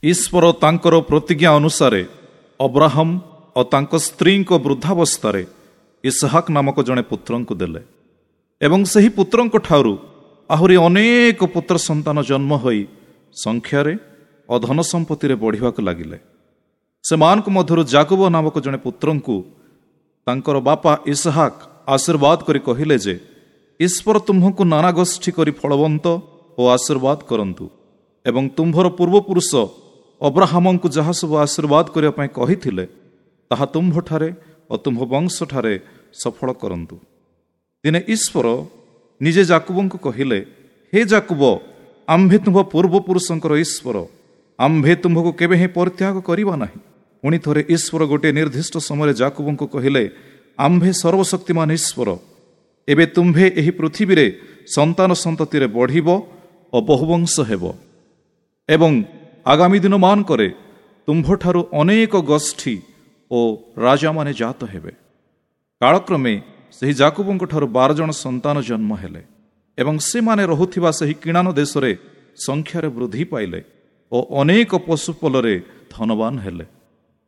ଈଶ୍ୱର ତାଙ୍କର ପ୍ରତିଜ୍ଞା ଅନୁସାରେ ଅବ୍ରାହମ ଓ ତାଙ୍କ ସ୍ତ୍ରୀଙ୍କ ବୃଦ୍ଧାବସ୍ଥାରେ ଇସହାକ ନାମକ ଜଣେ ପୁତ୍ରଙ୍କୁ ଦେଲେ ଏବଂ ସେହି ପୁତ୍ରଙ୍କ ଠାରୁ ଆହୁରି ଅନେକ ପୁତ୍ର ସନ୍ତାନ ଜନ୍ମ ହୋଇ ସଂଖ୍ୟାରେ ଓ ଧନ ସମ୍ପତ୍ତିରେ ବଢ଼ିବାକୁ ଲାଗିଲେ। ସେମାନଙ୍କ ମଧ୍ୟରୁ ଜାକୁବ ନାମକ ଜଣେ ପୁତ୍ରଙ୍କୁ ତାଙ୍କର ବାପା ଇସହାକ ଆଶୀର୍ବାଦ କରି କହିଲେ ଯେ, ଈଶ୍ୱର ତୁମ୍ଭକୁ ନାନା ଗୋଷ୍ଠୀ କରି ଫଳବନ୍ତ ଓ ଆଶୀର୍ବାଦ କରନ୍ତୁ ଏବଂ ତୁମ୍ଭର ପୂର୍ବପୁରୁଷ ଅବ୍ରାହମଙ୍କୁ ଯାହା ସବୁ ଆଶୀର୍ବାଦ କରିବା ପାଇଁ କହିଥିଲେ ତାହା ତୁମ୍ଭଠାରେ ଓ ତୁମ୍ଭ ବଂଶଠାରେ ସଫଳ କରନ୍ତୁ। ଦିନେ ଈଶ୍ୱର ନିଜେ ଜାକୁବଙ୍କୁ କହିଲେ, ହେ ଜାକୁବ, ଆମ୍ଭେ ତୁମ୍ଭ ପୂର୍ବପୁରୁଷଙ୍କର ଈଶ୍ୱର, ଆମ୍ଭେ ତୁମ୍ଭକୁ କେବେ ହିଁ ପରିତ୍ୟାଗ କରିବା ନାହିଁ। ପୁଣି ଥରେ ଈଶ୍ୱର ଗୋଟିଏ ନିର୍ଦ୍ଦିଷ୍ଟ ସମୟରେ ଜାକୁବଙ୍କୁ କହିଲେ, ଆମ୍ଭେ ସର୍ବଶକ୍ତିମାନ ଈଶ୍ୱର, ଏବେ ତୁମ୍ଭେ ଏହି ପୃଥିବୀରେ ସନ୍ତାନ ସନ୍ତତିରେ ବଢ଼ିବ ଓ ବହୁବଂଶ ହେବ ଏବଂ ଆଗାମୀ ଦିନମାନଙ୍କରେ ତୁମ୍ଭଠାରୁ ଅନେକ ଗୋଷ୍ଠୀ ଓ ରାଜାମାନେ ଜାତ ହେବେ। କାଳକ୍ରମେ ସେହି ଜାକୁବଙ୍କଠାରୁ 12 ଜଣ ସନ୍ତାନ ଜନ୍ମ ହେଲେ ଏବଂ ସେମାନେ ରହୁଥିବା ସେହି କିଣାନ ଦେଶରେ ସଂଖ୍ୟାରେ ବୃଦ୍ଧି ପାଇଲେ ଓ ଅନେକ ପଶୁପଲରେ ଧନବାନ ହେଲେ।